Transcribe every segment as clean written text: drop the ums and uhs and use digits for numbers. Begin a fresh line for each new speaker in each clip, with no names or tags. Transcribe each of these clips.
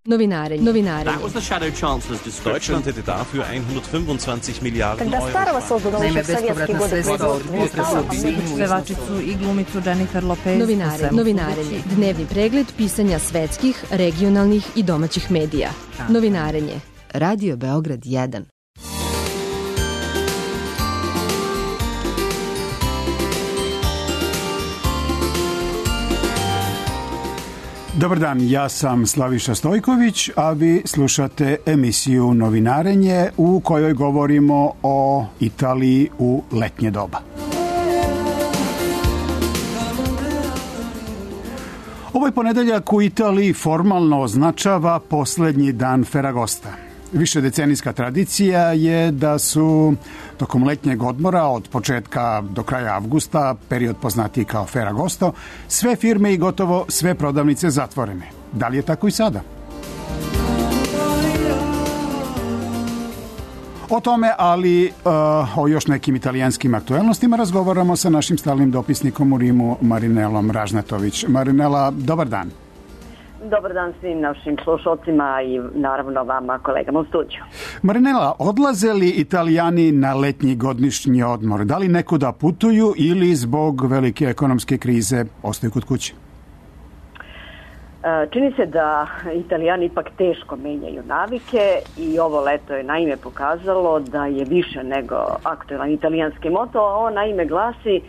Novinarenje.
That was the Shadow Chancellor's description.
Deutschland hätte dafür 125 Milijarden
Когда Старого создано еще в советские годы
Pevačicu i glumicu Jennifer Lopez.
Novinarenje. Dnevni pregled pisanja svetskih, regionalnih i domaćih medija. Novinarenje. Radio Beograd 1.
Dobar dan, ja sam Slaviša Stojković, a vi slušate emisiju Novinarenje u kojoj govorimo o Italiji u letnje doba. Ovaj ponedeljak u Italiji formalno označava poslednji dan Ferragosta. Višedecenijska tradicija je da su tokom letnjeg odmora od početka do kraja avgusta, period poznatiji kao Ferragosto, sve firme i gotovo sve prodavnice zatvorene. Da li je tako i sada? O tome, ali o još nekim italijanskim aktuelnostima razgovaramo sa našim stalnim dopisnikom u Rimu, Marinelom Ražnatović. Marinela, dobar dan.
Dobar dan svim našim slušalcima i naravno vama, kolegama u studiju.
Marinela, odlaze li Italijani na letnji godišnji odmor? Da li nekuda putuju ili zbog velike ekonomske krize ostaju kod kuće?
Čini se da Italijani ipak teško menjaju navike i ovo leto je naime pokazalo da je više nego aktuelan italijanski moto, a on naime glasi: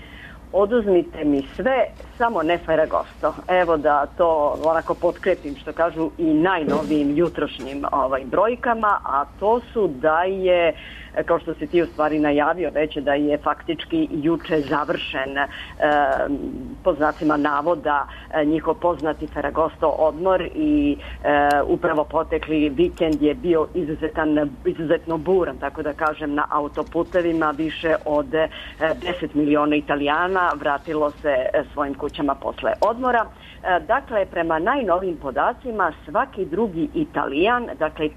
oduzmite mi sve, samo ne Ferragosto. Evo da to onako potkrepim što kažu i najnovijim jutrošnjim brojkama, a to su da je, kao što si ti u stvari najavio već, da je faktički juče završen po znacima navoda njihov poznati Ferragosto odmor i upravo potekli vikend je bio izuzetno buran, tako da kažem, na autoputevima. Više od 10 miliona Italijana vratilo se svojim kućama posle odmora. Dakle, prema najnovim podacima, svaki drugi Italijan, dakle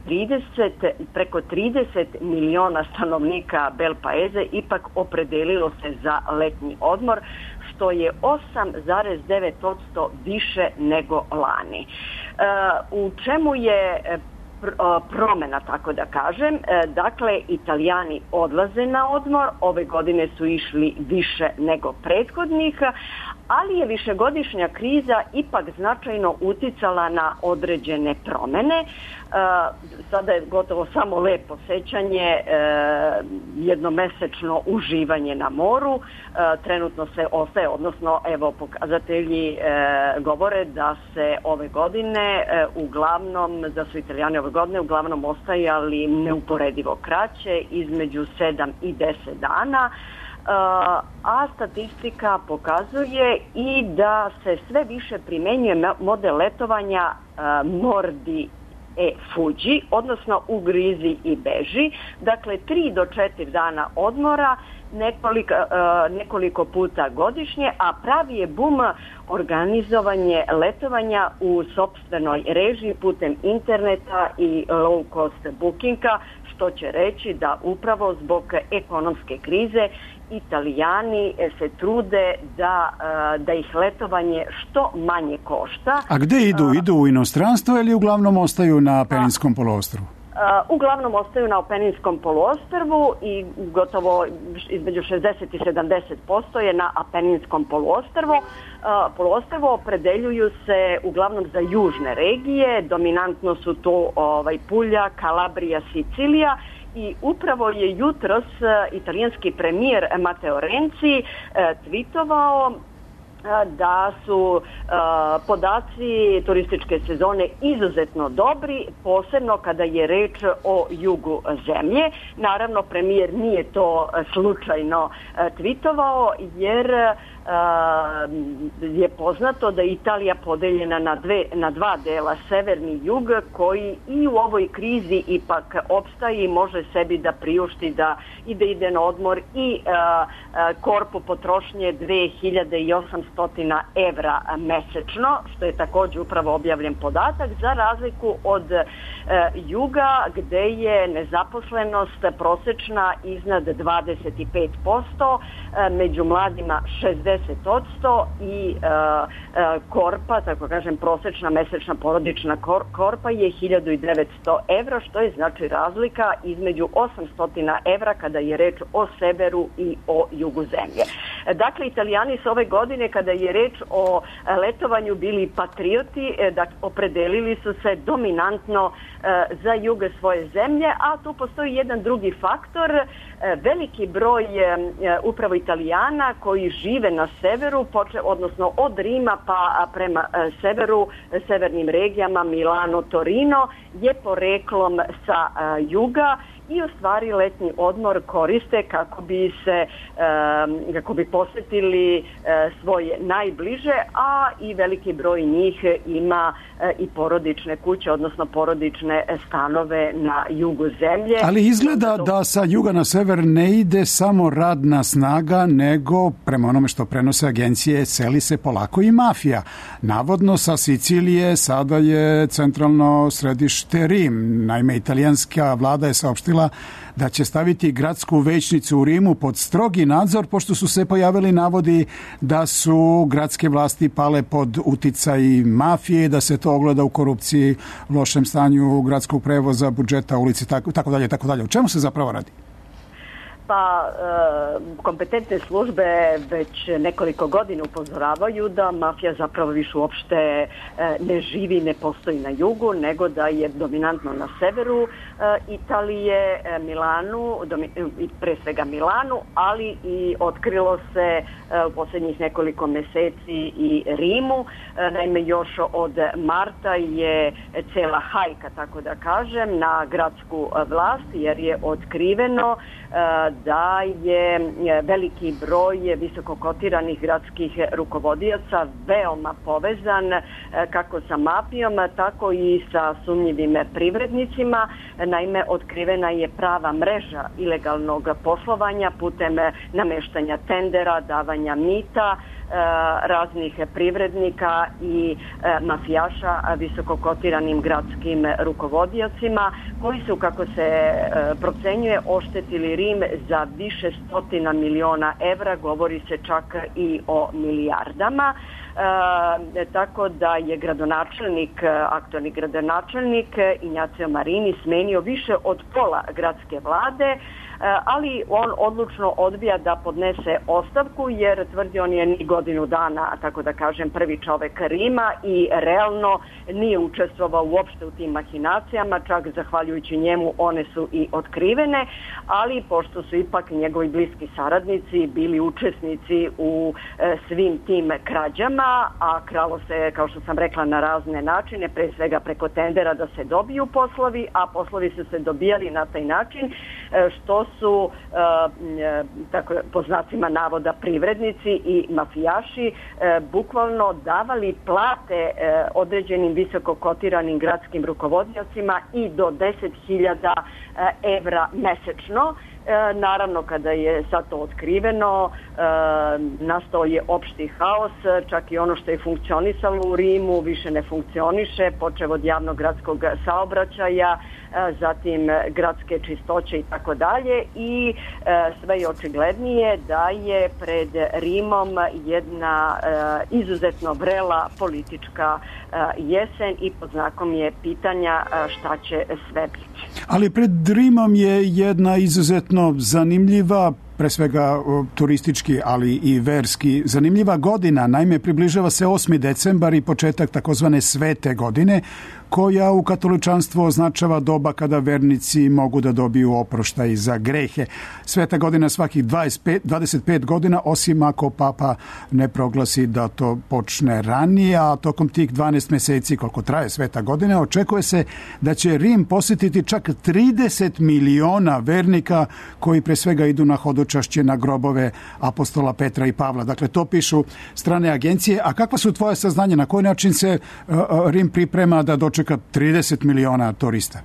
preko 30 miliona stanovnika Bel Paese ipak opredelilo se za letnji odmor, što je 8,9% više nego lani. U čemu je promena, tako da kažem? Dakle, Italijani odlaze na odmor, ove godine su išli više nego prethodnih, ali je višegodišnja kriza ipak značajno uticala na određene promene. Sada je gotovo samo lepo sećanje, jednomesečno uživanje na moru. Trenutno se ostaje, odnosno evo pokazatelji govore da se ove godine uglavnom, da su Italijani ove godine uglavnom ostajali neuporedivo kraće, između 7 i 10 dana. A statistika pokazuje i da se sve više primenjuje model letovanja mordi e fuđi, odnosno ugrizi i beži. Dakle, 3 do 4 dana odmora, nekoliko puta godišnje, a pravi je bum organizovanje letovanja u sopstvenoj režiji putem interneta i low cost bookinga, što će reći da upravo zbog ekonomske krize Italijani se trude da ih letovanje što manje košta.
A gde idu? Idu u inostranstvo ili uglavnom ostaju na Apeninskom poluostrvu?
Uglavnom ostaju na Apeninskom poluostrvu i gotovo između 60 i 70% je na Apeninskom poluostrvu. Opredeljuju se uglavnom za južne regije, dominantno su to Pulja, Kalabrija, Sicilija. I upravo je jutros italijanski premijer Matteo Renzi tweetovao da su podaci turističke sezone izuzetno dobri, posebno kada je reč o jugu zemlje. Naravno, premijer nije to slučajno tweetovao, jer je poznato da je Italija podeljena na dva dela, severni i jug, koji i u ovoj krizi ipak opstaje i može sebi da priušti da ide na odmor i korpu potrošnje 2800 evra mesečno, što je također upravo objavljen podatak, za razliku od juga gde je nezaposlenost prosečna iznad 25%, među mladima 60%, 50% i korpa, tako kažem, prosečna mesečna porodična korpa je 1900 evra, što je znači razlika između 800 evra kada je reč o severu i o jugu zemlje. Dakle, Italijani su ove godine, kada je reč o letovanju, bili patrioti, opredelili su se dominantno za jug svoje zemlje, a tu postoji jedan drugi faktor, veliki broj upravo Italijana koji žive na severu, odnosno od Rima pa prema severu, severnim regijama Milano, Torino, je poreklom sa juga i u stvari letnji odmor koriste kako bi posjetili svoje najbliže, a i veliki broj njih ima i porodične kuće, odnosno porodične stanove na jugu zemlje.
Ali izgleda da sa juga na sever ne ide samo radna snaga, nego prema onome što prenose agencije seli se polako i mafija. Navodno sa Sicilije sada je centralno središte Rim. Naime, italijanska vlada je saopštila da će staviti gradsku većnicu u Rimu pod strogi nadzor, pošto su se pojavili navodi da su gradske vlasti pale pod uticaj mafije, da se to ogleda u korupciji, lošem stanju gradskog prevoza, budžeta, ulici, tako dalje, tako dalje. O čemu se zapravo radi?
Pa kompetentne službe već nekoliko godina upozoravaju da mafija zapravo više uopšte ne živi, ne postoji na jugu, nego da je dominantno na severu Italije, Milanu, pre svega Milanu, ali i otkrilo se u posljednjih nekoliko meseci i Rimu. Naime, još od marta je cela hajka, tako da kažem, na gradsku vlast, jer je otkriveno da je veliki broj visoko kotiranih gradskih rukovodioca veoma povezan kako sa mafijom, tako i sa sumnjivim privrednicima. Naime, otkrivena je prava mreža ilegalnog poslovanja putem nameštanja tendera, davanja mita raznih privrednika i mafijaša visoko kotiranim gradskim rukovodiocima, koji su, kako se procenjuje, oštetili Rim za više stotina miliona evra, govori se čak i o milijardama. Tako da je aktualni gradonačelnik Ignacio Marini smenio više od pola gradske vlade, ali on odlučno odbija da podnese ostavku, jer tvrdi on je ni godinu dana, tako da kažem, prvi čovek Rima i realno nije učestvovao uopšte u tim mahinacijama, čak zahvaljujući njemu one su i otkrivene, ali pošto su ipak njegovi bliski saradnici bili učesnici u svim tim krađama, a kralo se, kao što sam rekla, na razne načine, pre svega preko tendera da se dobiju poslovi, a poslovi su se dobijali na taj način što su, tako po znacima navoda, privrednici i mafijaši bukvalno davali plate određenim visoko kotiranim gradskim rukovodiocima i do 10.000 evra mesečno. Naravno, kada je sad to otkriveno, nastao je opšti haos, čak i ono što je funkcionisalo u Rimu više ne funkcioniše, počev od javnog gradskog saobraćaja, zatim gradske čistoće i tako dalje, i sve je očiglednije da je pred Rimom jedna izuzetno vrela politička jesen i pod znakom je pitanja šta će sve biti.
Ali pred Rimom je jedna izuzetno zanimljiva, pre svega turistički, ali i verski, zanimljiva godina. Naime, približava se 8. decembar i početak takozvane svete godine, koja u katoličanstvu označava doba kada vernici mogu da dobiju oproštaj za grehe. Sveta godina svakih 25 godina, osim ako papa ne proglasi da to počne ranije, a tokom tih 12 meseci koliko traje sveta godina, očekuje se da će Rim posjetiti čak 30 miliona vernika koji pre svega idu na hodočašće na grobove apostola Petra i Pavla. Dakle, to pišu strane agencije. A kakva su tvoje saznanja? Na koji način se Rim priprema da dočeka 30 miliona turista?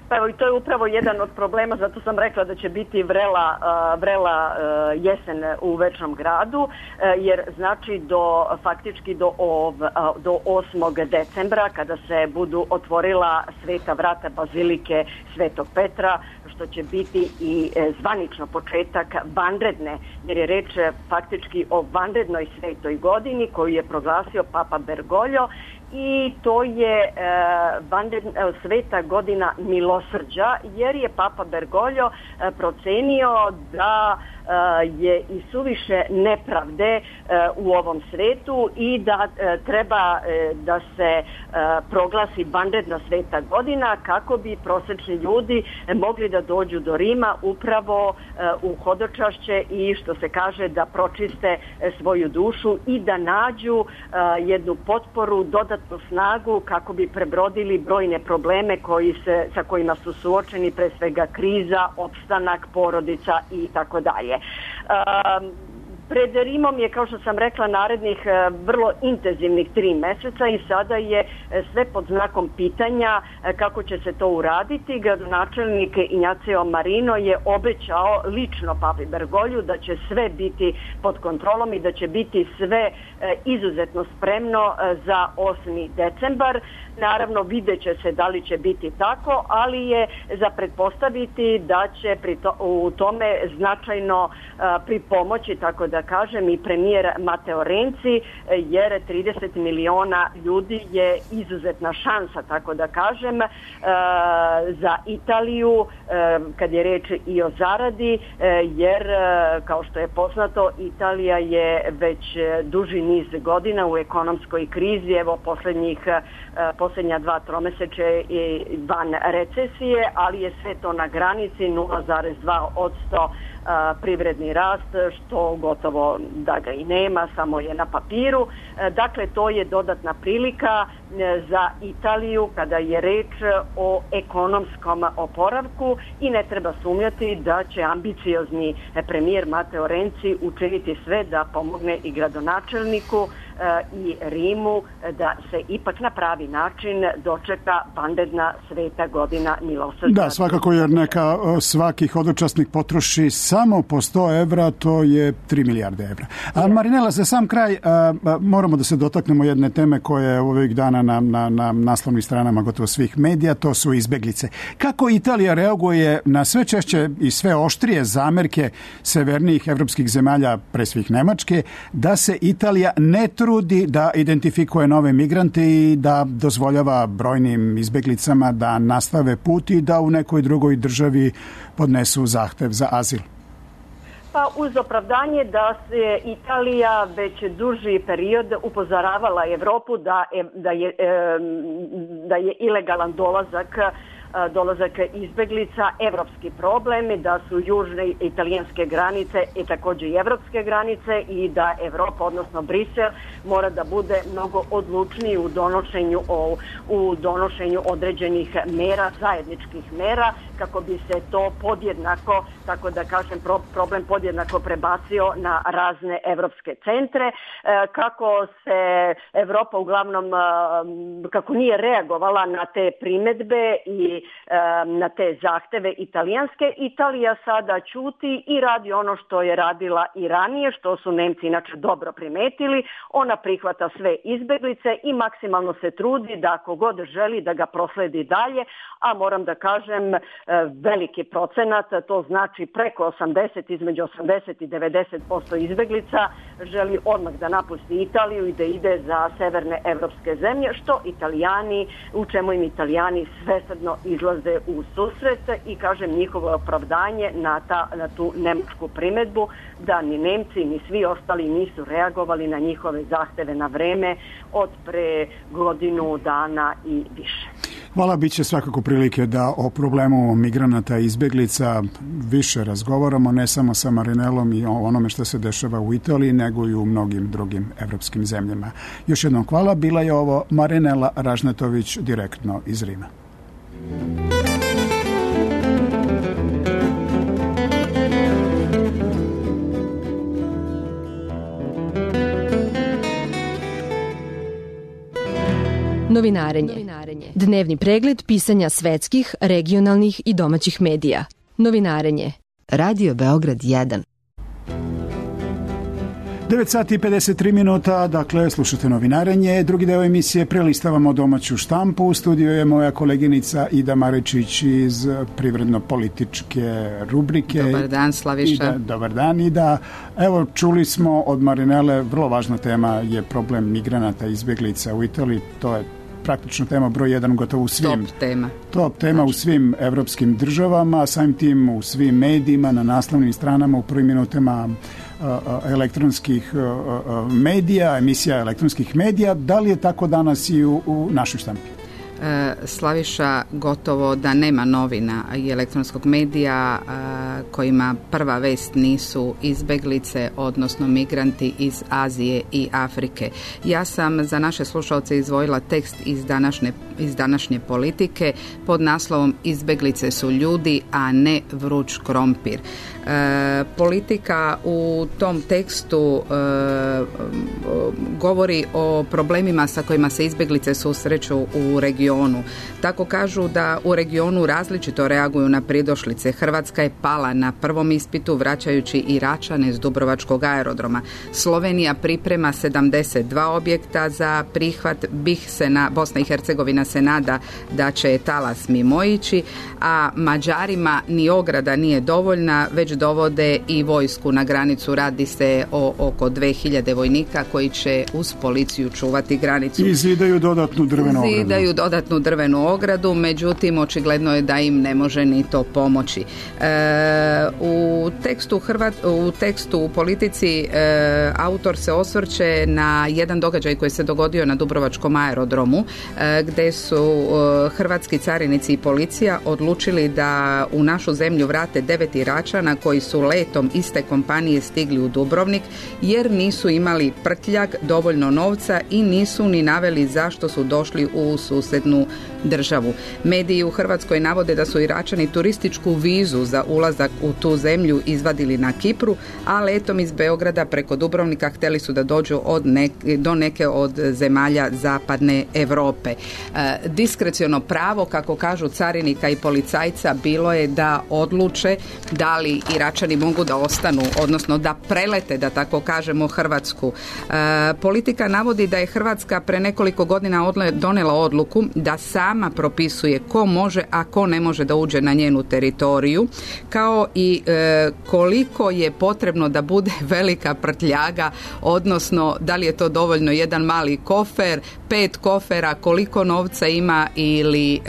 Pa evo, i to je upravo jedan od problema, zato sam rekla da će biti vrela jesen u Večnom gradu, jer znači faktički do 8. decembra, kada se budu otvorila sveta vrata bazilike Svetog Petra, što će biti i zvanično početak vanredne, jer je reč faktički o vanrednoj svetoj godini koju je proglasio Papa Bergoglio, i to je sveta godina milosrđa, jer je Papa Bergoglio procenio da je i suviše nepravde u ovom svetu i da treba da se proglasi vanredna sveta godina kako bi prosečni ljudi mogli da dođu do Rima upravo u hodočašće i, što se kaže, da pročiste svoju dušu i da nađu jednu potporu, dodatnu snagu kako bi prebrodili brojne probleme sa kojima su suočeni, pre svega kriza, opstanak, porodica i tako dalje. Pred Rimom je, kao što sam rekla, narednih vrlo intenzivnih 3 meseca i sada je sve pod znakom pitanja kako će se to uraditi. Gradonačelnik Ignacio Marino je obećao lično Papi Bergogliju da će sve biti pod kontrolom i da će biti sve izuzetno spremno za 8. decembar. Naravno, vidjet će se da li će biti tako, ali je za pretpostaviti da će u tome značajno pripomoći, tako da kažem, i premijer Matteo Renzi, jer 30 miliona ljudi je izuzetna šansa, tako da kažem, za Italiju, kad je reč i o zaradi, jer, kao što je poznato, Italija je već duži niz godina u ekonomskoj krizi. Evo, posljednja 2 tromesečja van recesije, ali je sve to na granici 0,2% privredni rast, što gotovo da ga i nema, samo je na papiru. Dakle, to je dodatna prilika za Italiju kada je reč o ekonomskom oporavku i ne treba sumnjati da će ambiciozni premijer Matteo Renzi učiniti sve da pomogne i gradonačelniku i Rimu da se ipak na pravi način dočeka vanredna sveta godina milosrđa.
Da, svakako, jer neka svaki hodočasnik potroši samo po 100 evra, to je 3 milijarde evra. A Marinela, za sam kraj moramo da se dotaknemo jedne teme koja je ovih dana na naslovnim stranama gotovo svih medija, to su izbeglice. Kako Italija reaguje na sve češće i sve oštrije zamerke severnijih evropskih zemalja, pre svih Nemačke, da se Italija ne trudi da identifikuje nove migrante i da dozvoljava brojnim izbeglicama da nastave put i da u nekoj drugoj državi podnesu zahtev za azil?
Pa uz opravdanje da se Italija već duži period upozoravala Evropu da je ilegalan dolazak izbeglica evropski problem, da su južne italijanske granice i također i evropske granice i da Evropa, odnosno Brisel, mora da bude mnogo odlučniji u donošenju određenih mera, zajedničkih mera, kako bi se to podjednako, tako da kažem, problem podjednako prebacio na razne evropske centre. Kako se Evropa uglavnom, kako nije reagovala na te primedbe i na te zahteve italijanske, Italija sada ćuti i radi ono što je radila i ranije, što su Nemci inače dobro primetili. Ona prihvata sve izbeglice i maksimalno se trudi da ako god želi da ga prosledi dalje, a moram da kažem veliki procenat, to znači preko 80, između 80 i 90% izbeglica želi odmah da napusti Italiju i da ide za severne evropske zemlje, u čemu im Italijani svesrdno izlaze u susret i, kažem, njihovo opravdanje na tu nemačku primedbu da ni Nemci ni svi ostali nisu reagovali na njihove zahteve na vreme od pre godinu dana i više.
Hvala, bit će svakako prilike da o problemu migranata i izbeglica više razgovaramo, ne samo sa Marinelom i o onome što se dešava u Italiji, nego i u mnogim drugim evropskim zemljama. Još jednom hvala, bila je ovo Marinela Ražnatović direktno iz Rima.
Novinarenje. Dnevni pregled pisanja svetskih, regionalnih i domaćih medija. Novinarenje. Radio Beograd 1.
9 sati i 53 minuta, dakle, slušate Novinarenje. Drugi deo emisije prelistavamo domaću štampu. U studiju je moja koleginica Ida Marečić iz privredno-političke rubrike.
Dobar dan, Slaviša.
Dobar dan, Ida. Evo, čuli smo od Marinele, vrlo važna tema je problem migranata i izbjeglica u Italiji. To je praktično tema broj 1 gotovo u svim. Top tema u svim evropskim državama, samim tim u svim medijima, na naslovnim stranama, u prvim minutama elektronskih medija, emisija elektronskih medija. Da li je tako danas i u našoj štampi?
Slaviša, gotovo da nema novina i elektronskog medija kojima prva vest nisu izbeglice, odnosno migranti iz Azije i Afrike. Ja sam za naše slušalce izdvojila tekst iz današnje Politike pod naslovom Izbeglice su ljudi, a ne vruć krompir. Politika u tom tekstu govori o problemima sa kojima se izbeglice susreću u regionu. Tako kažu da u regionu različito reaguju na pridošlice. Hrvatska je pala na prvom ispitu vraćajući Iračane s Dubrovačkog aerodroma. Slovenija priprema 72 objekta za prihvat. Bosna i Hercegovina se nada da će talas mimoići, a Mađarima ni ograda nije dovoljna, već dovode i vojsku na granicu. Radi se o oko 2000 vojnika koji će uz policiju čuvati granicu.
I zidaju dodatnu drvenu ogradu, međutim očigledno je da im ne može ni to pomoći. U tekstu u Politici autor se osvrće na jedan događaj koji se dogodio na Dubrovačkom aerodromu, gde su hrvatski carinici i policija odlučili da u našu zemlju vrate 9 Iračana koji su letom iste kompanije stigli u Dubrovnik jer nisu imali prtljag, dovoljno novca i nisu ni naveli zašto su došli u susednu državu. Mediji u Hrvatskoj navode da su Iračani turističku vizu za ulazak u tu zemlju izvadili na Kipru, a letom iz Beograda preko Dubrovnika htjeli su da dođu do neke od zemalja zapadne Europe. Diskreciono pravo, kako kažu carinika i policajca, bilo je da odluče da li Iračani mogu da ostanu, odnosno da prelete, da tako kažemo, Hrvatsku. Politika navodi da je Hrvatska pre nekoliko godina donela odluku da sama propisuje ko može, a ko ne može da uđe na njenu teritoriju, kao i koliko je potrebno da bude velika prtljaga, odnosno da li je to dovoljno jedan mali kofer, 5 kofera, koliko novca ima ili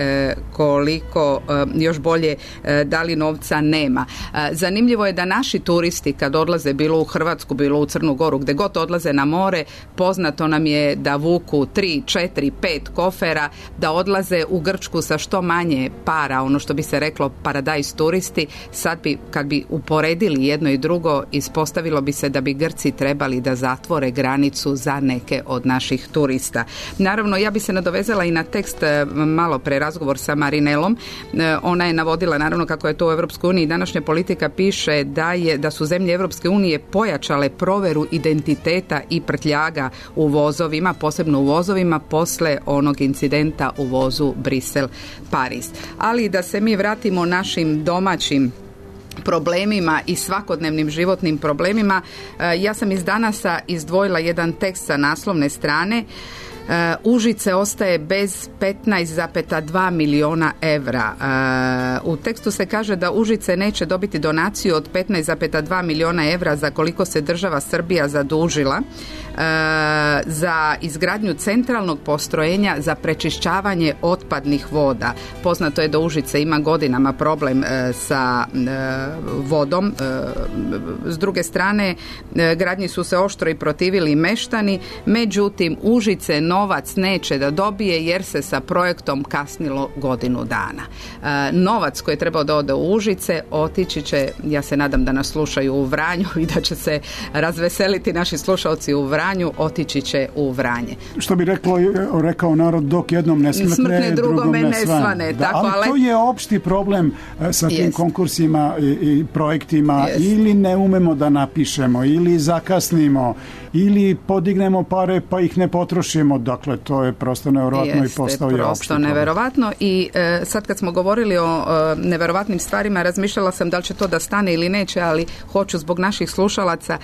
koliko, još bolje, da li novca nema. Zanimljivo je da naši turisti kad odlaze bilo u Hrvatsku, bilo u Crnu Goru, gde god odlaze na more, poznato nam je da vuku 3, 4, 5 kofera, da odlaze u Grčku sa što manje para, ono što bi se reklo paradajz turisti. Sad kad bi uporedili jedno i drugo, ispostavilo bi se da bi Grci trebali da zatvore granicu za neke od naših turista. Naravno, ja bi se nadovezala i na tekst malo pre razgovor sa Marinelom. Ona je navodila naravno kako je to u Evropskoj uniji. Današnja Politika piše da su zemlje Evropske unije pojačale proveru identiteta i prtljaga u vozovima, posebno u vozovima posle onog incidenta u vozu Brisel-Pariz. Ali da se mi vratimo našim domaćim problemima i svakodnevnim životnim problemima, ja sam iz Danasa izdvojila jedan tekst sa naslovne strane. Užice ostaje bez 15,2 miliona evra. U tekstu se kaže da Užice neće dobiti donaciju od 15,2 miliona evra za koliko se država Srbija zadužila za izgradnju centralnog postrojenja za prečišćavanje otpadnih voda. Poznato je da Užice ima godinama problem sa vodom. S druge strane, gradnji su se oštro i protivili meštani, međutim Užice novac neće da dobije jer se sa projektom kasnilo godinu dana. Novac koji je trebao da ode u Užice otići će, ja se nadam da nas slušaju u Vranju i da će se razveseliti naši slušalci u Vranju, otići će u Vranje. Što bi rekao narod, dok jednom ne smrtne, drugome ne svane.
Da, tako,
ali to je opšti problem sa tim konkursima i projektima. Ili ne umemo da napišemo, ili zakasnimo, ili podignemo pare pa ih ne potrošimo. Dakle, to je prosto neverovatno i postao je opšte problem.
Neverovatno i sad kad smo govorili o neverovatnim stvarima, razmišljala sam da li će to da stane ili neće, ali hoću zbog naših slušalaca.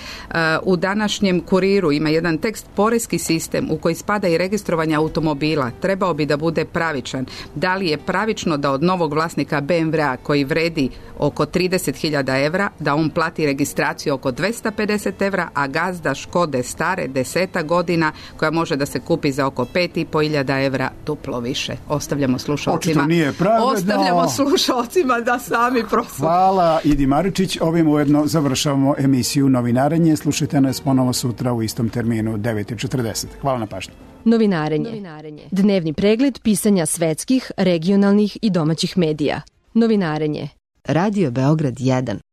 U današnjem Kuriru ima jedan tekst: porezki sistem u koji spada i registrovanje automobila trebao bi da bude pravičan. Da li je pravično da od novog vlasnika BMW-a koji vredi oko 30.000 evra, da on plati registraciju oko 250 evra, a gazda Škode stare 10 godina koja može da se kupi za oko 5.500 evra duplo više. Ostavljamo slušalcima da sami prosude.
Hvala Idi Maričić. Ovim ujedno završavamo emisiju Novinarenje. Slušajte nas ponovo sutra u istom terminu 9:40. Hvala na pažnji.
Novinarenje. Dnevni pregled pisanja svetskih, regionalnih i domaćih medija. Novinarenje. Radio Beograd 1.